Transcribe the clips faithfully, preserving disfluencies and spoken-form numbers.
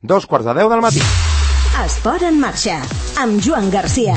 dos quarts de deu del matí. Esport en marxa, amb Joan Garcia.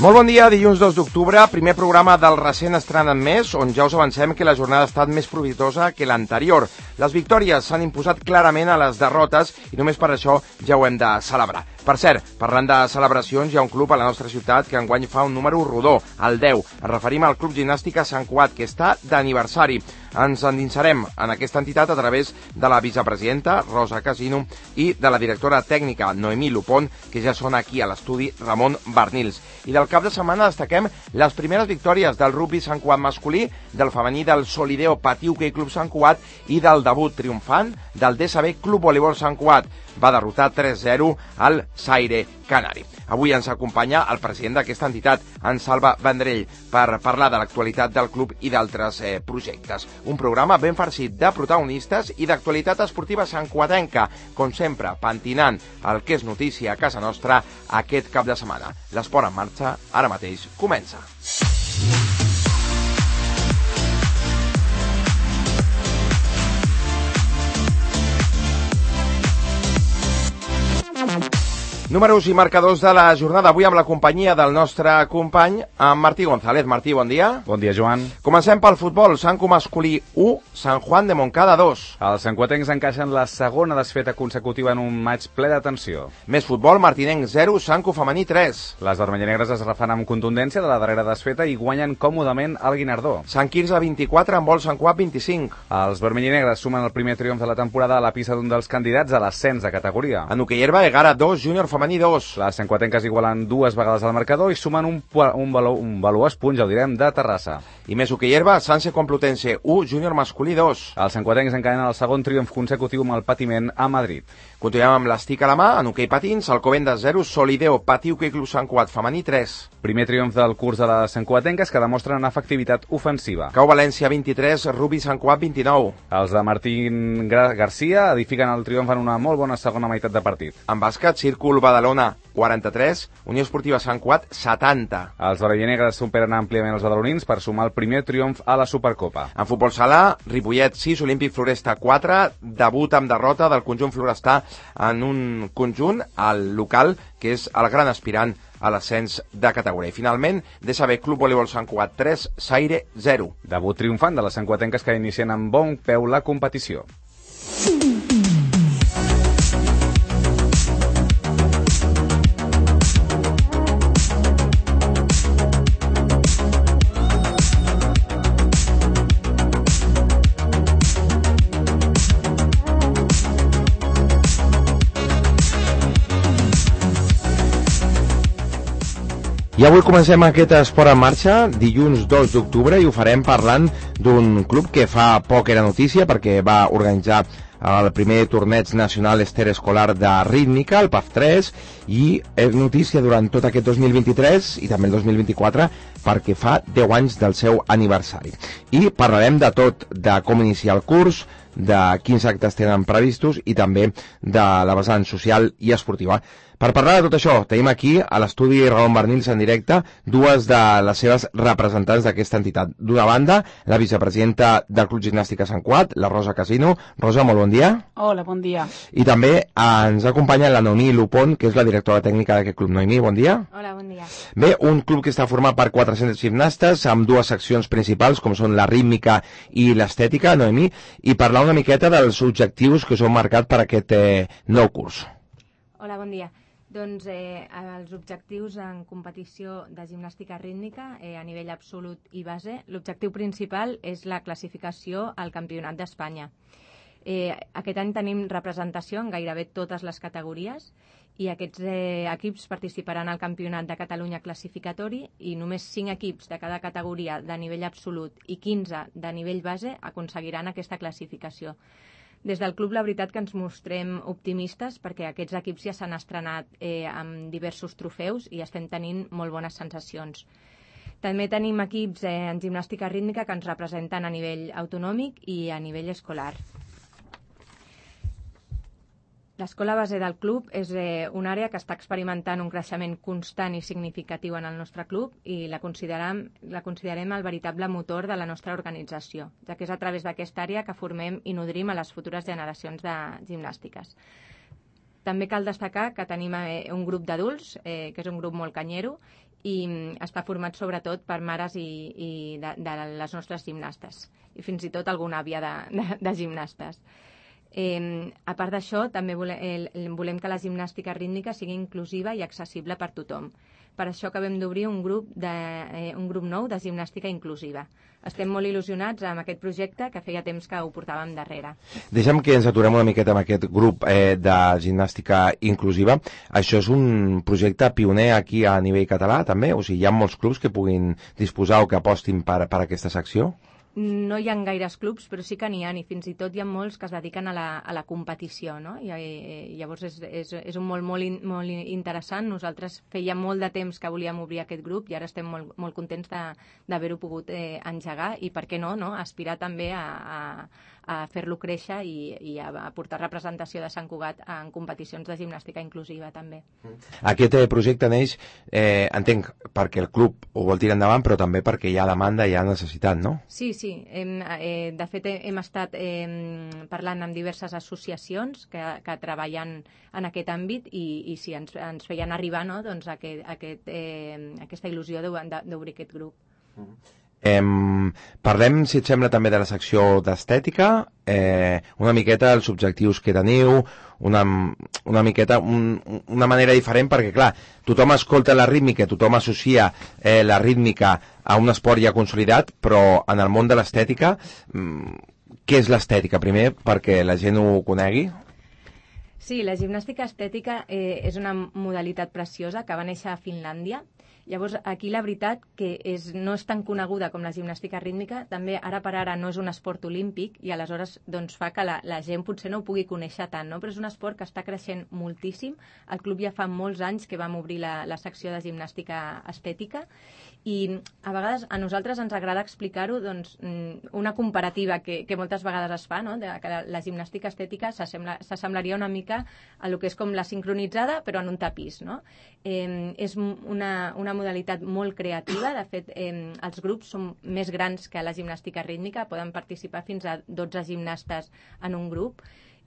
Molt bon dia, dilluns dos d'octubre, primer programa del recent estrenat mes, on ja us avancem que la jornada ha estat més profitosa que l'anterior. Les victòries s'han imposat clarament a les derrotes i només per això ja ho hem de celebrar. Per cert, parlant de celebracions, hi ha un club a la nostra ciutat que enguany fa un número rodó, el deu. Ens referim al Club Gimnàstica Sant Cugat, que està d'aniversari. Ens endinsarem en aquesta entitat a través de la vicepresidenta, Rosa Casino, i de la directora tècnica, Noemí Lupón, que ja són aquí a l'estudi Ramon Barnils. I del cap de setmana destaquem les primeres victòries del rugby Sant Cugat masculí, del femení del Solideo Patí Hoquei Club Sant Cugat i del debut triomfant del D S B Club Voleibol Sant Cugat. Va derrotar tres zero al Zaire Canari. Avui ens acompanya el president d'aquesta entitat, en Salva Vendrell, per parlar de l'actualitat del club i d'altres eh, projectes. Un programa ben farcit de protagonistes i d'actualitat esportiva santcuatenca, com sempre, pentinant el que és notícia a casa nostra aquest cap de setmana. L'esport en marxa, ara mateix, comença. Números i marcadors de la jornada avui amb la companyia del nostre company, en Martí González. Martí, bon dia. Bon dia, Joan. Comencem pel futbol. Sanco masculí u, San Juan de Montcada dos. Els santcuatencs encaixen la segona desfeta consecutiva en un maig ple d'atenció. Més futbol, Martinenc zero, Sanco femení tres. Les vermellanegres es refan amb contundència de la darrera desfeta i guanyen còmodament el Guinardó. Sant Quirze vint-i-quatre, en vol Sant Cugat vint-i-cinc. Els vermellanegres sumen el primer triomf de la temporada a la pista d'un dels candidats a l'ascens de categoria. En hoquei herba, Egara dos, Júnior femení dos. Les santcuatenques igualen dues vegades al marcador i sumen un, un, valor, un valuós punt, ja ho direm, de Terrassa. I més hoquei herba, Sanse Complutense u, Júnior masculí dos. Els santcuatencs encadenen el segon triomf consecutiu amb el patiment a Madrid. Continuem amb l'estic a la mà, en hoquei patins, Alcobendas zero, Solideo Patí Hoquei Club Sant Cugat femení tres. Primer triomf del curs de les santcuatenques que demostren efectivitat ofensiva. Cau València vint-i-tres, Rugby Sant Cugat vint-i-nou. Els de Martín Garcia edifiquen el triomf en una molt bona segona meitat de partit. En bàsquet, Círcul Badalona quaranta-tres, Unió Esportiva Sant Cugat setanta. Els vermellanegres superen àmpliament els badalonins per sumar el primer triomf a la Supercopa. En futbol sala, Ripollet sis, Olímpic Floresta quatre, debut amb derrota del conjunt florestà en un conjunt al local que és el gran aspirant a l'ascens de categoria. I finalment, D S B Club Voleibol Sant Cugat tres, Zaire zero. Debut triomfant de les santcuatenques que inicien amb bon peu la competició. I avui comencem aquest esport en marxa, dilluns dos d'octubre, i ho farem parlant d'un club que fa poc era notícia perquè va organitzar el primer torneig nacional esterescolar de rítmica, el P A F tres, i és notícia durant tot aquest dos mil vint-i-tres i també el dos mil vint-i-quatre perquè fa deu anys del seu aniversari. I parlarem de tot, de com iniciar el curs, de quins actes tenen previstos i també de la vessant social i esportiva. Per parlar de tot això, tenim aquí a l'estudi Ramon Barnils en directe dues de les seves representants d'aquesta entitat. D'una banda, la vicepresidenta del Club Gimnàstica Sant Cugat, la Rosa Casino. Rosa, molt bon dia. Hola, bon dia. I també ens acompanya la Noemí Lupón, que és la directora tècnica d'aquest club. Noemí, bon dia. Hola, bon dia. Bé, un club que està format per quatre-cents gimnastes amb dues seccions principals, com són la rítmica i l'estètica, Noemí, i parlar una miqueta dels objectius que us heu marcat per aquest eh, nou curs. Hola, bon dia. Doncs eh, els objectius en competició de gimnàstica rítmica eh, a nivell absolut i base, l'objectiu principal és la classificació al Campionat d'Espanya. Eh, aquest any tenim representació en gairebé totes les categories i aquests eh, equips participaran al Campionat de Catalunya classificatori i només cinc equips de cada categoria de nivell absolut i quinze de nivell base aconseguiran aquesta classificació. Des del club, la veritat que ens mostrem optimistes perquè aquests equips ja s'han estrenat eh, amb diversos trofeus i estem tenint molt bones sensacions. També tenim equips eh, en gimnàstica rítmica que ens representen a nivell autonòmic i a nivell escolar. L'escola base del club és eh, una àrea que està experimentant un creixement constant i significatiu en el nostre club i la considerem, la considerem el veritable motor de la nostra organització, ja que és a través d'aquesta àrea que formem i nodrim a les futures generacions de gimnàstiques. També cal destacar que tenim eh, un grup d'adults, eh, que és un grup molt canyero, i està format sobretot per mares i, i de, de les nostres gimnastes, i fins i tot alguna àvia de, de, de gimnastes. Eh, a part d'això, també volem, eh, volem que la gimnàstica rítmica sigui inclusiva i accessible per tothom. Per això acabem d'obrir un, grup de, eh, un grup nou de gimnàstica inclusiva. Estem molt il·lusionats amb aquest projecte que feia temps que ho portàvem darrere. Deixa'm que ens aturem una miqueta amb aquest grup eh, de gimnàstica inclusiva. Això és un projecte pioner aquí a nivell català, també? O sigui, hi ha molts clubs que puguin disposar o que apostin per, per aquesta secció? No hi ha gaires clubs, però sí que n'hi ha, i fins i tot hi ha molts que es dediquen a la, a la competició, no? I, i llavors és, és, és un molt, molt, in, molt interessant. Nosaltres feia molt de temps que volíem obrir aquest grup i ara estem molt, molt contents d'haver-ho pogut eh, engegar i, per què no, no? Aspirar també a, a, a fer-lo créixer i, i a, a portar representació de Sant Cugat en competicions de gimnàstica inclusiva també. Aquest eh, projecte neix, eh, entenc, perquè el club ho vol tirar endavant, però també perquè hi ha demanda i hi ha necessitat, no? Sí, sí. Hem, eh, de fet, hem estat eh, parlant amb diverses associacions que, que treballen en aquest àmbit i, i sí, ens, ens feien arribar, no? Doncs aquest, aquest, eh, aquesta il·lusió d'obrir aquest grup. Mm-hmm. Em, parlem, si et sembla, també de la secció d'estètica, eh, una miqueta els objectius que teniu, una, una miqueta un, una manera diferent, perquè clar, tothom escolta la rítmica, tothom associa eh, la rítmica a un esport ja consolidat, però en el món de l'estètica, què és l'estètica? Primer, perquè la gent ho conegui. Sí, la gimnàstica estètica eh, és una modalitat preciosa que va néixer a Finlàndia. Llavors, aquí la veritat que és, no és tan coneguda com la gimnàstica rítmica, també ara per ara no és un esport olímpic i aleshores doncs, fa que la, la gent potser no ho pugui conèixer tant, no? Però és un esport que està creixent moltíssim. El club ja fa molts anys que vam obrir la, la secció de gimnàstica estètica i a vegades a nosaltres ens agrada explicar-ho, doncs, una comparativa que, que moltes vegades es fa, no? De que la, la gimnàstica estètica s'assemblaria una mica a lo que és com la sincronitzada però en un tapís, no? Eh, és una, una modalitat molt creativa. De fet, eh, els grups són més grans que la gimnàstica rítmica, poden participar fins a dotze gimnastes en un grup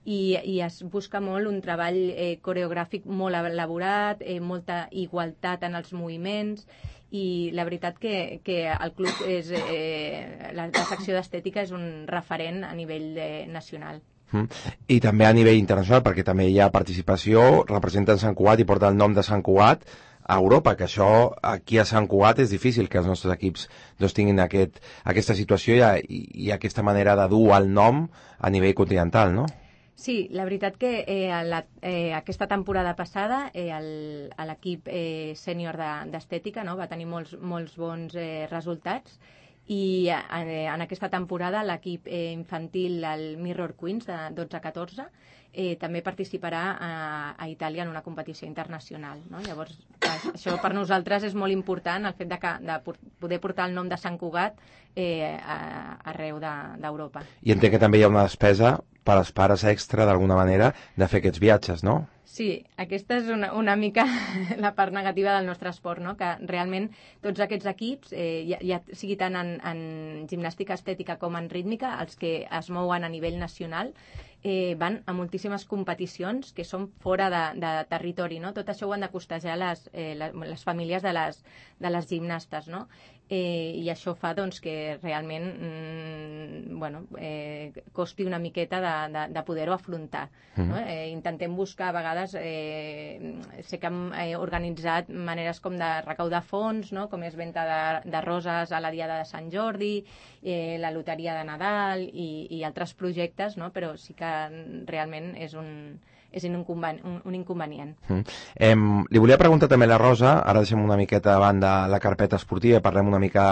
i, i es busca molt un treball eh, coreogràfic molt elaborat, eh, molta igualtat en els moviments i la veritat que, que el club és, eh, la, la secció d'estètica és un referent a nivell de, nacional. Mm. I també a nivell internacional, perquè també hi ha participació, representen Sant Cugat i porta el nom de Sant Cugat a Europa, que això aquí a Sant Cugat és difícil que els nostres equips doncs, tinguin aquest, aquesta situació i, i aquesta manera de dur el nom a nivell continental, no? Sí, la veritat que eh, la, eh, aquesta temporada passada eh, l'equip eh, sènior d'estètica, no, va tenir molts, molts bons eh, resultats i eh, en aquesta temporada l'equip eh, infantil, el Mirror Queens de dotze a catorze, eh, també participarà a, a Itàlia en una competició internacional, no? Llavors, això per nosaltres és molt important, el fet de, que, de poder portar el nom de Sant Cugat eh, a, arreu d'Europa. I entenc que també hi ha una despesa per als pares extra, d'alguna manera, de fer aquests viatges, no? Sí, aquesta és una, una mica la part negativa del nostre esport, no? Que realment tots aquests equips, eh, ja, ja sigui tant en, en gimnàstica estètica com en rítmica, els que es mouen a nivell nacional, eh, van a moltíssimes competicions que són fora de, de territori, no? Tot això ho han de costejar les, eh, les, les famílies de les, de les gimnastes, no? Eh, I això fa doncs, que realment mm, bueno, eh, costi una miqueta de, de, de poder-ho afrontar. Mm. No? Eh, intentem buscar, a vegades, eh, sé que hem eh, organitzat maneres com de recaudar fons, no? Com és venda de, de roses a la Diada de Sant Jordi, eh, la loteria de Nadal i, i altres projectes, no? Però sí que realment és un... és un, un, un inconvenient. Mm. Eh, li volia preguntar també a la Rosa, ara deixem una miqueta de banda la carpeta esportiva, parlem una mica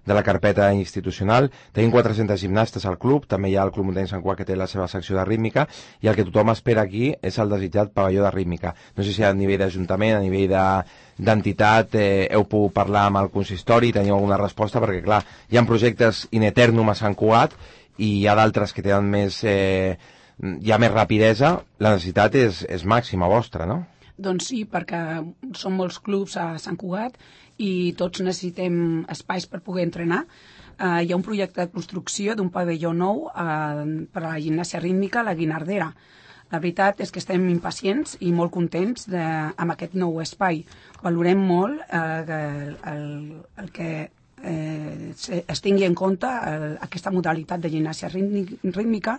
de la carpeta institucional. Tenim quatre-centes gimnastes al club, també hi ha el Club Muntanya Sant Cugat que té la seva secció de rítmica, i el que tothom espera aquí és el desitjat pavelló de rítmica. No sé si a nivell d'Ajuntament, a nivell d'entitat, eh, heu pogut parlar amb el consistori, teniu alguna resposta, perquè clar, hi ha projectes in eternum a Sant Cugat i hi ha d'altres que tenen més... Eh, hi ha més rapidesa, la necessitat és, és màxima vostra, no? Doncs sí, perquè són molts clubs a Sant Cugat i tots necessitem espais per poder entrenar. Uh, hi ha un projecte de construcció d'un pavelló nou uh, per a la gimnàsia rítmica a la Guinardera. La veritat és que estem impacients i molt contents de, amb aquest nou espai. Valorem molt eh, el, el, el que eh, es tingui en compte el, aquesta modalitat de gimnàsia rítmica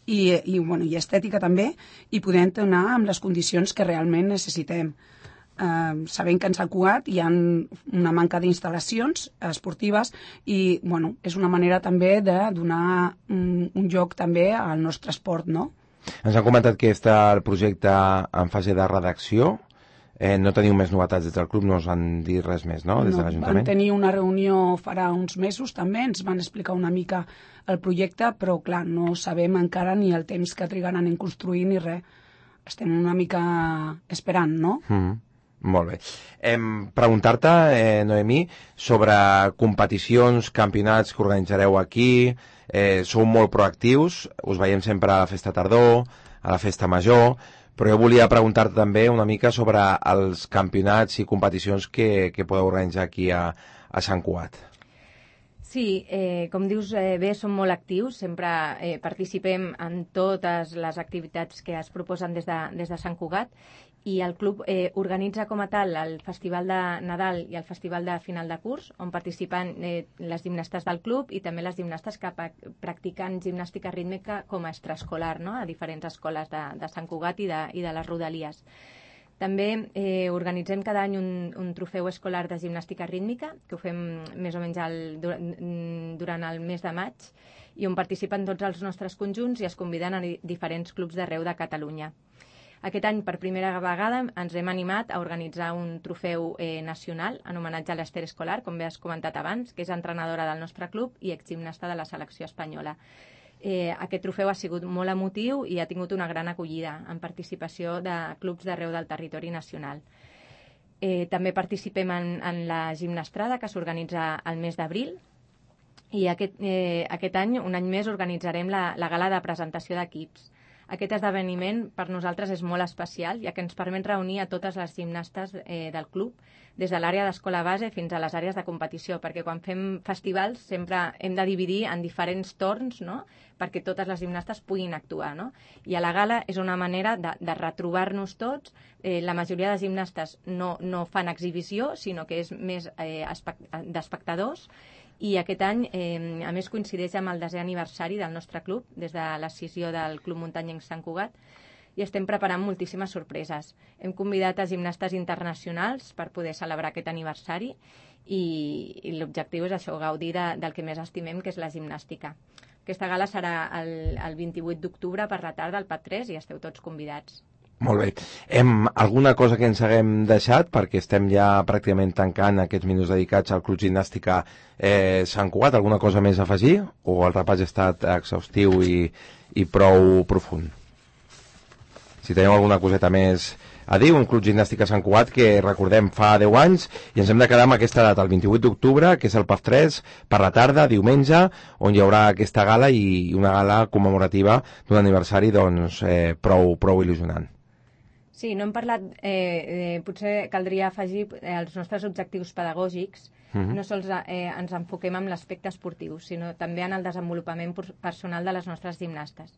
i, i, bueno, i estètica també, i poder entrenar amb les condicions que realment necessitem. Eh, sabem que en Sant Cugat hi ha una manca d'instal·lacions esportives i bueno, és una manera també de donar un, un lloc també al nostre esport, no? Ens han comentat que està el projecte en fase de redacció. Eh, no teniu més novetats des del club, no us han dit res més, no?, des de l'Ajuntament? Vam tenir una reunió farà uns mesos també, ens van explicar una mica el projecte, però clar, no sabem encara ni el temps que trigaran en construir ni res. Estem una mica esperant, no? Mm. Molt bé. Eh, Preguntar-te, eh, Noemí, sobre competicions, campionats que organitzareu aquí. Eh, sou molt proactius, us veiem sempre a la festa tardor, a la festa major, però jo volia preguntar-te també una mica sobre els campionats i competicions que, que podeu organitzar aquí a, a Sant Cugat. Sí, eh, com dius eh, bé, som molt actius, sempre eh, participem en totes les activitats que es proposen des de, des de Sant Cugat, i el club eh, organitza com a tal el Festival de Nadal i el Festival de Final de Curs, on participen eh, les gimnastes del club i també les gimnastes que practiquen gimnàstica rítmica com a extraescolar, no?, a diferents escoles de, de Sant Cugat i de, i de les Rodalies. També eh, organitzem cada any un, un trofeu escolar de gimnàstica rítmica, que ho fem més o menys el, durant el mes de maig, i on participen tots els nostres conjunts i es conviden a diferents clubs d'arreu de Catalunya. Aquest any, per primera vegada, ens hem animat a organitzar un trofeu eh, nacional en homenatge a l'Ester Escolar, com bé has comentat abans, que és entrenadora del nostre club i exgimnasta de la selecció espanyola. Eh, aquest trofeu ha sigut molt emotiu i ha tingut una gran acollida en participació de clubs d'arreu del territori nacional. Eh, també participem en, en la gimnastrada, que s'organitza al mes d'abril, i aquest, eh, aquest any, un any més, organitzarem la, la gala de presentació d'equips. Aquest esdeveniment per nosaltres és molt especial, ja que ens permet reunir a totes les gimnastes eh, del club, des de l'àrea d'escola base fins a les àrees de competició, perquè quan fem festivals sempre hem de dividir en diferents torns, no?, perquè totes les gimnastes puguin actuar, no? I a la gala és una manera de, de retrobar-nos tots. Eh, la majoria de gimnastes no, no fan exhibició, sinó que és més eh, d'espectadors. I aquest any, eh, a més, coincideix amb el desè aniversari del nostre club, des de l'escissió del Club Muntanyenc Sant Cugat, i estem preparant moltíssimes sorpreses. Hem convidat a gimnastes internacionals per poder celebrar aquest aniversari i, i l'objectiu és això, gaudir de, del que més estimem, que és la gimnàstica. Aquesta gala serà el, el vint-i-vuit d'octubre per la tarda al P A C tres i esteu tots convidats. Molt bé. Hem alguna cosa que ens haguem deixat, perquè estem ja pràcticament tancant aquests minuts dedicats al Club Gimnàstica eh, Sant Cugat? Alguna cosa més a afegir? O el repàs ha estat exhaustiu i, i prou profund? Si teniu alguna coseta més a dir, un Club Gimnàstica Sant Cugat que, recordem, fa deu anys, i ens hem de quedar amb aquesta data, el vint-i-vuit d'octubre, que és el P A C tres, per la tarda, diumenge, on hi haurà aquesta gala i una gala commemorativa d'un aniversari doncs, eh, prou, prou il·lusionant. Sí, no hem parlat, eh, eh, potser caldria afegir eh, els nostres objectius pedagògics. Uh-huh. No sols eh, ens enfoquem en l'aspecte esportiu, sinó també en el desenvolupament personal de les nostres gimnastes.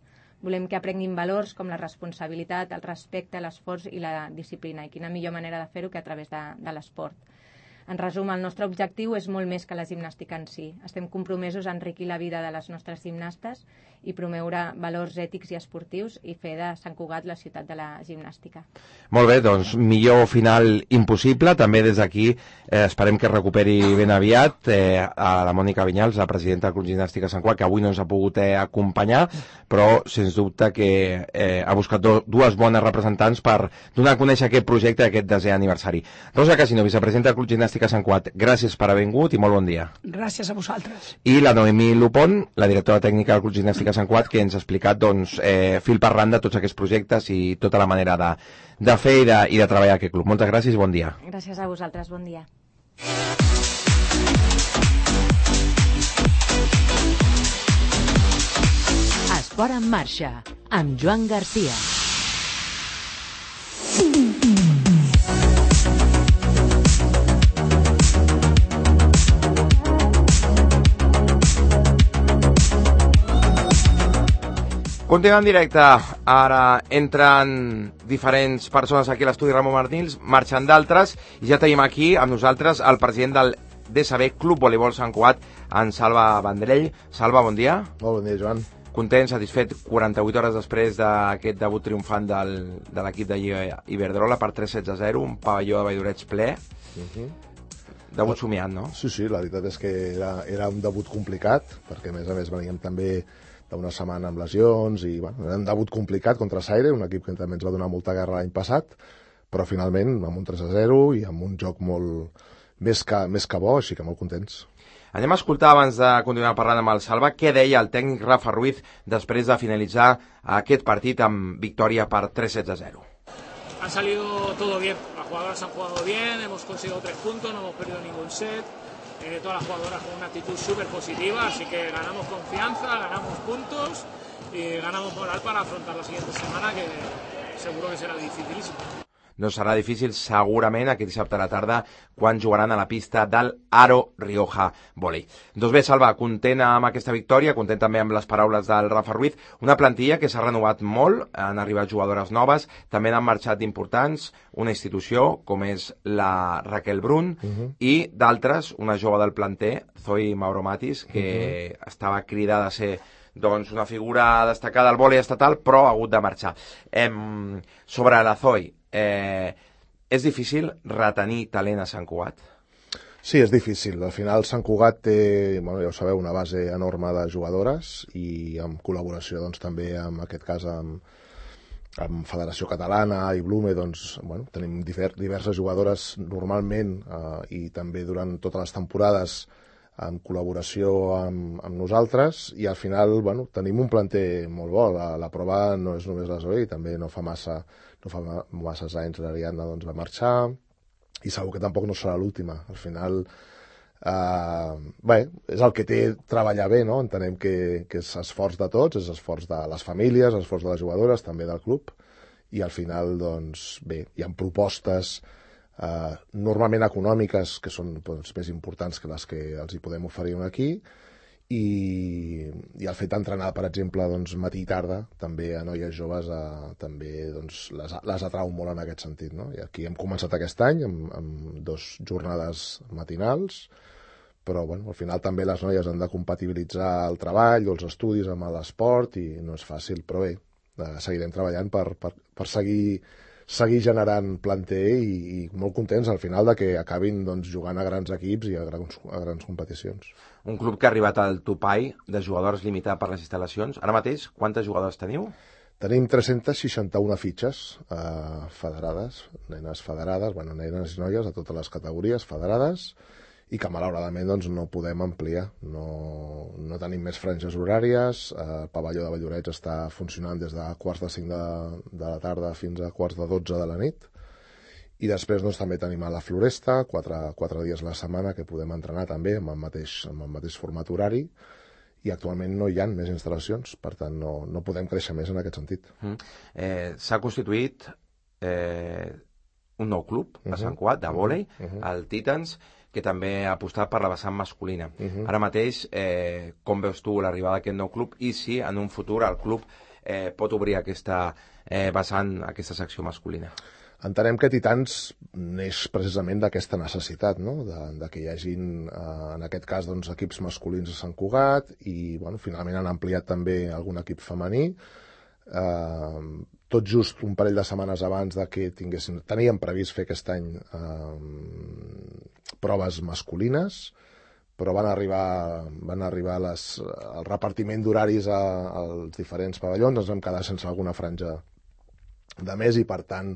Volem que aprenguin valors com la responsabilitat, el respecte, l'esforç i la disciplina. I quina millor manera de fer-ho que a través de, de l'esport. En resum, el nostre objectiu és molt més que la gimnàstica en si. Estem compromesos a enriquir la vida de les nostres gimnastes i promoure valors ètics i esportius i fer de Sant Cugat la ciutat de la gimnàstica. Molt bé, doncs millor final impossible. També des d'aquí eh, esperem que recuperi ben aviat eh, a la Mònica Vinyals, la presidenta del Club Gimnàstica Sant Cugat, que avui no ens ha pogut eh, acompanyar, però sens dubte que eh, ha buscat do, dues bones representants per donar a conèixer aquest projecte d'aquest desè aniversari. Rosa Casino, vicepresidenta del Club Gimnàstica Sant Cugat, gràcies per haver vingut i molt bon dia. Gràcies a vosaltres. I la Noemí Lupón, la directora tècnica del Club Gimnàstica Sant Cugat, que ens ha explicat doncs, eh, fil per randa tots aquests projectes i tota la manera de, de fer i de, i de treballar aquest club. Moltes gràcies i bon dia. Gràcies a vosaltres, bon dia. Esport en marxa, amb Joan Garcia. Continuem en directe. Ara entren diferents persones aquí a l'estudi Ramon Martins, marxen d'altres, i ja tenim aquí amb nosaltres el president del D S B Club Voleibol Sant Cugat, en Salva Vendrell. Salva, bon dia. Molt bon dia, Joan. Content, satisfet, quaranta-vuit hores després d'aquest debut triomfant del, de l'equip de Lliga Iberdrola per tres sets a zero, un pavelló de Valldoreix ple. Uh-huh. Debut somiat, no? Sí, sí, la veritat és que era, era un debut complicat, perquè a més a més veníem també d'una setmana amb lesions i bueno, era un debut complicat contra Saire, un equip que també ens va donar molta guerra l'any passat, però finalment amb un tres a zero i amb un joc molt més que, més que bo, així que molt contents. Anem a escoltar, abans de continuar parlant amb el Salva, què deia el tècnic Rafa Ruiz després de finalitzar aquest partit amb victòria per tres sets a zero. Ha salido todo bien, las jugadoras han jugado bien, hemos conseguido tres puntos, no hemos perdido ningún set. Eh, todas las jugadoras con una actitud súper positiva, así que ganamos confianza, ganamos puntos y ganamos moral para afrontar la siguiente semana, que seguro que será dificilísimo. No serà difícil segurament aquest dissabte a la tarda quan jugaran a la pista del Aro Rioja Volei. Doncs bé, Salva, content amb aquesta victòria, content també amb les paraules del Rafa Ruiz, una plantilla que s'ha renovat molt, han arribat jugadores noves, també han marxat importants, una institució com és la Raquel Brun, uh-huh. i d'altres, una jove del planter, Zoe Mauro Matis, que uh-huh. estava cridada a ser doncs, una figura destacada al vòlei estatal, però ha hagut de marxar. Eh, sobre la Zoe, Eh, és difícil retenir talent a Sant Cugat? Sí, és difícil. Al final Sant Cugat té, bueno, ja ho sabeu, una base enorme de jugadores i en col·laboració doncs, també, en aquest cas, amb, amb Federació Catalana i Blume, doncs, bueno, tenim divers, diverses jugadores normalment eh, i també durant totes les temporades en col·laboració amb, amb nosaltres, i al final bueno, tenim un planter molt bo. La, la prova no és només la Zoe, també no fa massa no fa masses anys l'Ariadna doncs, va marxar, i segur que tampoc no serà l'última. Al final, eh, bé, és el que té treballar bé, no? Entenem que, que és esforç de tots, és esforç de les famílies, esforç de les jugadores, també del club, i al final, doncs, bé, hi ha propostes eh, normalment econòmiques, que són doncs, més importants que les que els hi podem oferir aquí, i, i el fet d'entrenar, per exemple, doncs, matí i tarda, també a noies joves, eh, també doncs, les, les atrau molt en aquest sentit, no? I aquí hem començat aquest any amb, amb dos jornades matinals, però bueno, al final també les noies han de compatibilitzar el treball o els estudis amb l'esport i no és fàcil, però bé, eh, seguirem treballant per, per, per seguir seguir generant planter i, i molt contents al final de que acabin doncs, jugant a grans equips i a grans, a grans competicions. Un club que ha arribat al topall de jugadors limitat per les instal·lacions. Ara mateix, quantes jugadores teniu? Tenim tres-centes seixanta-una fitxes eh, federades, nenes federades, bueno, nenes i noies de totes les categories federades, i que malauradament doncs, no podem ampliar. No, no tenim més franges horàries, eh, el pavelló de Valldoreix està funcionant des de quarts de cinc de, de la tarda fins a quarts de dotze de la nit, i després doncs, també tenim a la Floresta, quatre, quatre dies a la setmana que podem entrenar també amb el mateix, amb el mateix format horari, i actualment no hi ha més instal·lacions, per tant no, no podem créixer més en aquest sentit. Mm. Eh, S'ha constituït eh, un nou club a Sant Cugat de vòlei, uh-huh. el Titans, que també ha apostat per la vessant masculina. Uh-huh. Ara mateix, eh, com veus tu l'arribada d'aquest nou club, i si en un futur el club eh, pot obrir aquesta eh, vessant, aquesta secció masculina? Entenem que Titans neix precisament d'aquesta necessitat, no? de, de que hi hagin, eh, en aquest cas, doncs, equips masculins a Sant Cugat, i bueno, finalment han ampliat també algun equip femení, eh, tot just un parell de setmanes abans de que tinguéssim, teníem previst fer aquest any eh, proves masculines, però van arribar, van arribar les, el repartiment d'horaris als diferents pavellons, ens vam quedar sense alguna franja de més i per tant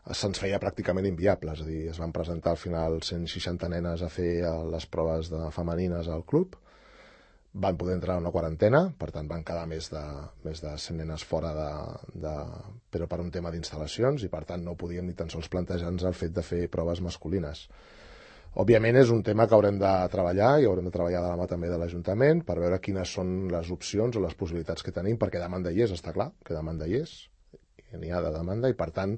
se'ns feia pràcticament inviable, és a dir, es van presentar al final cent seixanta nenes a fer les proves de femenines al club, van poder entrar a una quarantena, per tant van quedar més de, més de cent nenes fora, de, de, però per un tema d'instal·lacions, i per tant no podíem ni tan sols plantejar-nos el fet de fer proves masculines. Òbviament és un tema que haurem de treballar i haurem de treballar de la mà també de l'Ajuntament per veure quines són les opcions o les possibilitats que tenim, perquè demanda hi és, està clar que demanda hi és, n'hi ha de demanda, i per tant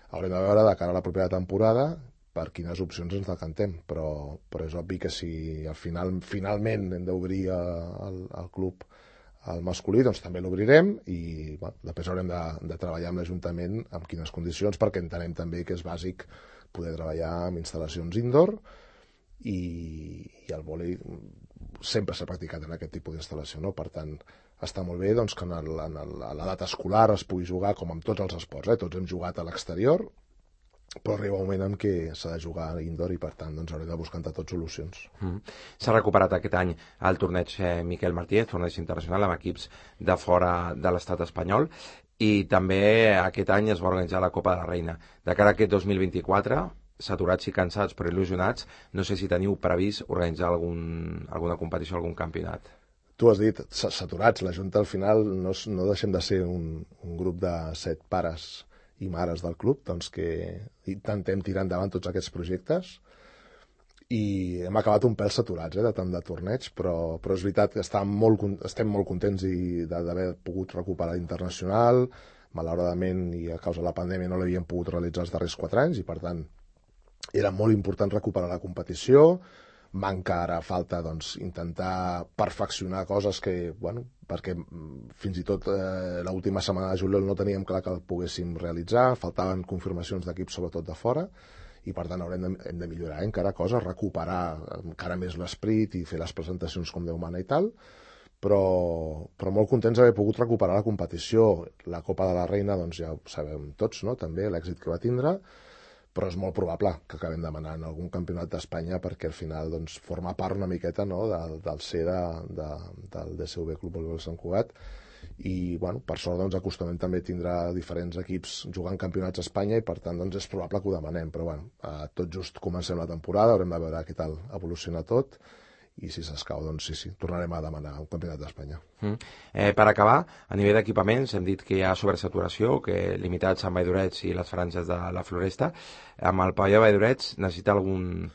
haurem de veure de cara a la propera temporada per quines opcions ens decantem, però, però és obvi que si al final finalment hem d'obrir el, el club al masculí, doncs també l'obrirem i bueno, després haurem de, de treballar amb l'Ajuntament amb quines condicions, perquè entenem també que és bàsic poder treballar amb instal·lacions indoor i, i el vòlei sempre s'ha practicat en aquest tipus d'instal·lació, no? Per tant, està molt bé doncs, que en el, en el, a l'edat escolar es pugui jugar com amb tots els esports, eh? Tots hem jugat a l'exterior, però arriba un moment en què s'ha de jugar a indoor i per tant doncs, haurem de buscar entre tots solucions. Mm. S'ha recuperat aquest any el torneig eh, Miquel Martínez, torneig internacional amb equips de fora de l'estat espanyol, i també aquest any es va organitzar la Copa de la Reina. De cara a aquest dos mil vint-i-quatre, saturats i cansats però il·lusionats, no sé si teniu previst organitzar algun, alguna competició, algun campionat. Tu has dit saturats, la Junta al final no, no deixem de ser un, un grup de set pares i mares del club, doncs que intentem tirar endavant tots aquests projectes i hem acabat un pèl saturats eh, de tant de torneig, però, però és veritat que estem molt, estem molt contents d'haver pogut recuperar l'internacional. Malauradament i a causa de la pandèmia no l'havíem pogut realitzar els darrers quatre anys i per tant era molt important recuperar la competició. Manca ara falta doncs, intentar perfeccionar coses que, bueno, perquè fins i tot eh, l'última setmana de juliol no teníem clar que el poguéssim realitzar, faltaven confirmacions d'equips sobretot de fora i per tant haurem de, hem de millorar eh, encara coses, recuperar encara més l'esprit i fer les presentacions com Déu mana i tal, però, però molt contents d'haver pogut recuperar la competició. La Copa de la Reina doncs ja ho sabem tots, no? També l'èxit que va tindre, però és molt probable que acabem demanant algun campionat d'Espanya perquè al final doncs, forma part una miqueta no, del, del C de, de, del D C U B Club Voleibol Sant Cugat i bueno, per sort doncs, acostumem també tindrà diferents equips jugant campionats a Espanya i per tant doncs, és probable que ho demanem, però bueno, eh, tot just comencem la temporada, haurem de veure què tal evoluciona tot i si s'escau, doncs sí, sí, tornarem a demanar un campionat d'Espanya. Mm. Eh, per acabar, a nivell d'equipaments, hem dit que hi ha sobresaturació, que limitats amb Valldorets i les franges de la Floresta. Amb el pavelló de Valldorets necessita algun,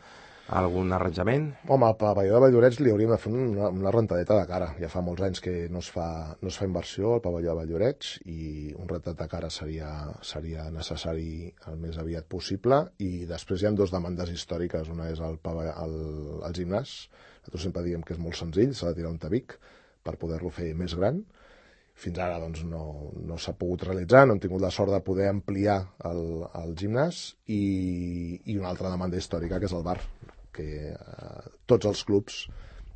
algun arranjament? Home, al pavelló de Valldorets li hauríem de fer una, una rentadeta de cara. Ja fa molts anys que no es fa, no es fa inversió al pavelló de Valldorets i un rentat de cara seria, seria necessari el més aviat possible i després hi ha dues demandes històriques. Una és el, el, el gimnàs. Nosaltres sempre diem que és molt senzill, s'ha de tirar un tabic per poder-lo fer més gran. Fins ara doncs, no, no s'ha pogut realitzar, no hem tingut la sort de poder ampliar el, el gimnàs i, i una altra demanda històrica que és el bar, que eh, tots els clubs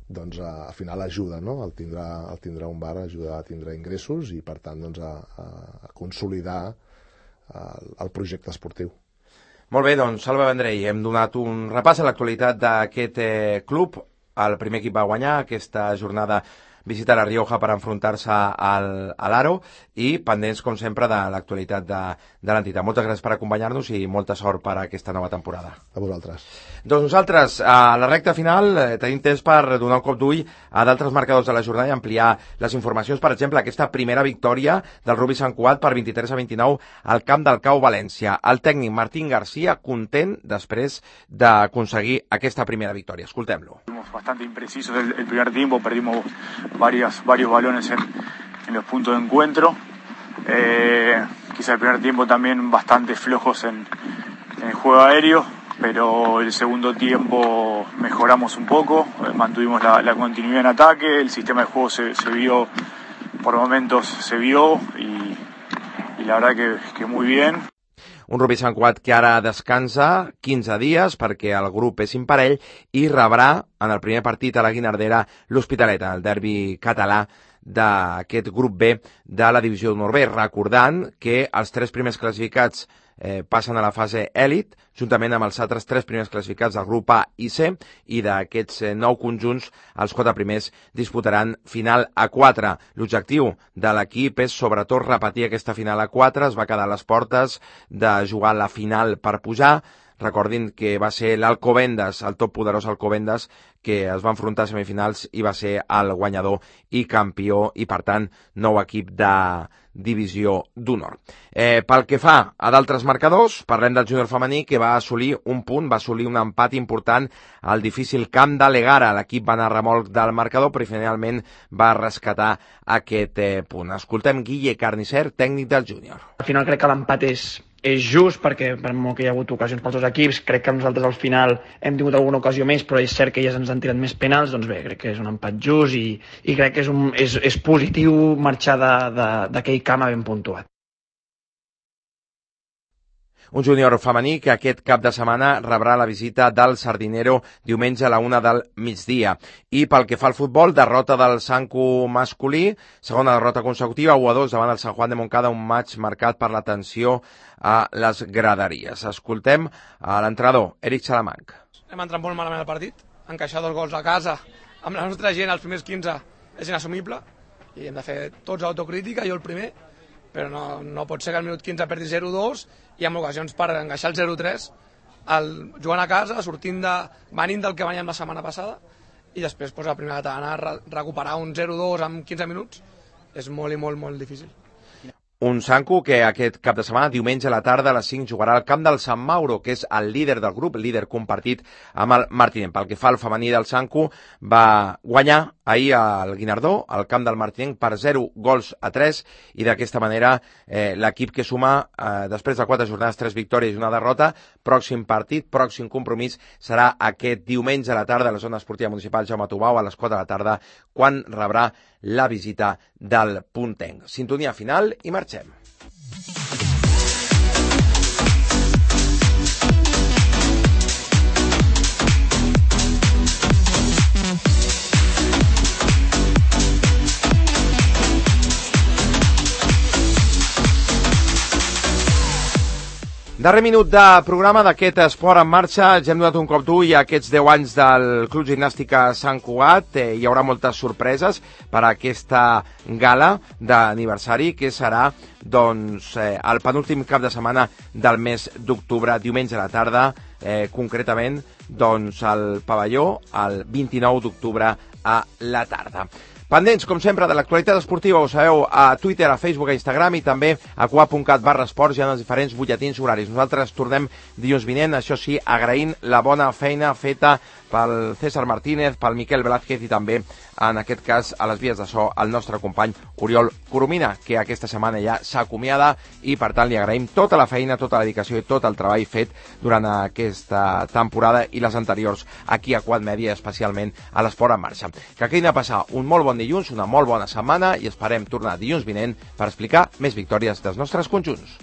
doncs, a, a final ajuda, no? el, tindre, el tindre un bar ajuda a tindre ingressos i per tant doncs, a, a consolidar el, el projecte esportiu. Molt bé, doncs Salva Vendrell, hem donat un repàs a l'actualitat d'aquest eh, club. El primer equip va guanyar aquesta jornada visitar la Rioja per enfrontar-se al, a l'Aro i pendents, com sempre, de l'actualitat de, de l'entitat. Moltes gràcies per acompanyar-nos i molta sort per a aquesta nova temporada. A vosaltres. Doncs nosaltres, a la recta final, eh, tenim temps per donar un cop d'ull a d'altres marcadors de la jornada i ampliar les informacions. Per exemple, aquesta primera victòria del Rugby Sant Cugat per vint-i-tres a vint-i-nou al camp del Cau València. El tècnic Martín García content després d'aconseguir aquesta primera victòria. Escoltem-lo. Bastante imprecisos el, el primer tiempo, perdimos varias, varios balones en, en los puntos de encuentro. Eh, quizá el primer tiempo también bastante flojos en, en el juego aéreo, pero el segundo tiempo mejoramos un poco, eh, mantuvimos la, la continuidad en ataque, el sistema de juego se, se vio, por momentos se vio y, y la verdad que, que muy bien. Un Rugby Sant Cugat que ara descansa quinze dies perquè el grup és imparell i rebrà en el primer partit a la Guinardera l'Hospitalet, el derbi català d'aquest grup B de la divisió d'honor B, recordant que els tres primers classificats eh, passen a la fase èlit, juntament amb els altres tres primers classificats del grup A i C, i d'aquests eh, nou conjunts, els quatre primers disputaran final a quatre. L'objectiu de l'equip és sobretot repetir aquesta final a quatre, es va quedar a les portes de jugar la final per pujar. recordin que va ser l'Alcobendas, el top poderós Alcobendas, que es va enfrontar a semifinals i va ser el guanyador i campió i, per tant, nou equip de divisió d'honor. Eh, pel que fa a d'altres marcadors, parlem del júnior femení, que va assolir un punt, va assolir un empat important al difícil camp de l'Egara. L'equip va anar a remolc del marcador, però finalment va rescatar aquest eh, punt. Escoltem Guille Carnicer, tècnic del júnior. Al final crec que l'empat és, és just, perquè per molt que hi ha hagut ocasions pels dos equips, crec que nosaltres al final hem tingut alguna ocasió més, però és cert que elles ens han tirat més penals, doncs bé, crec que és un empat just i, i crec que és, un, és, és positiu marxar d'aquell camp ben puntuat. Un júnior femení que aquest cap de setmana rebrà la visita del Sardinero diumenge a la una del migdia. I pel que fa al futbol, derrota del Sancu masculí, segona derrota consecutiva, u a dos davant el Sant Juan de Montcada, un match marcat per la tensió a les graderies. Escoltem a l'entrenador, Eric Salamanc. Hem entrat molt malament al partit, encaixar dos gols a casa amb la nostra gent als primers quinze és inassumible i hem de fer tots autocrítica, jo el primer, però no, no pot ser que al minut quinze perdi zero dos i amb ocasions per engaixar el zero tres el, jugant a casa, sortint de, venint del que veníem la setmana passada i després pues, la primera catalana re, recuperar un zero dos en quinze minuts és molt i molt, molt difícil. Un Sancu que aquest cap de setmana, diumenge a la tarda a les cinc, jugarà al camp del Sant Mauro, que és el líder del grup, líder compartit amb el Martinenc. Pel que fa al femení del Sancu, va guanyar ahir al Guinardó, al camp del Martinenc, per zero gols a tres, i d'aquesta manera eh, l'equip que suma, eh, després de quatre jornades, tres victòries i una derrota, pròxim partit, pròxim compromís, serà aquest diumenge a la tarda a la zona esportiva municipal Jaume Tubau, a les quatre de la tarda, quan rebrà la visita del Puntenc. Sintonia final i marxem. Darrer minut de programa d'aquest Esport en Marxa. Ja hem donat un cop d'ull a aquests deu anys del Club Gimnàstica Sant Cugat. Eh, hi haurà moltes sorpreses per a aquesta gala d'aniversari que serà doncs, eh, el penúltim cap de setmana del mes d'octubre, diumenge a la tarda, eh, concretament doncs, al pavelló, el vint-i-nou d'octubre a la tarda. Pendents, com sempre, de l'actualitat esportiva, ho sabeu, a Twitter, a Facebook, a Instagram i també a cuap.cat barra esports, hi ha els diferents butlletins horaris. Nosaltres tornem dilluns vinent, això sí, agraint la bona feina feta pel César Martínez, pel Miquel Velázquez i també, en aquest cas, a les vies de so, el nostre company Oriol Coromina, que aquesta setmana ja s'acomiada i, per tant, li agraïm tota la feina, tota la dedicació i tot el treball fet durant aquesta temporada i les anteriors aquí a Quad Media, especialment a l'Esport en Marxa. Que acabin de passar un molt bon dilluns, una molt bona setmana i esperem tornar dilluns vinent per explicar més victòries dels nostres conjunts.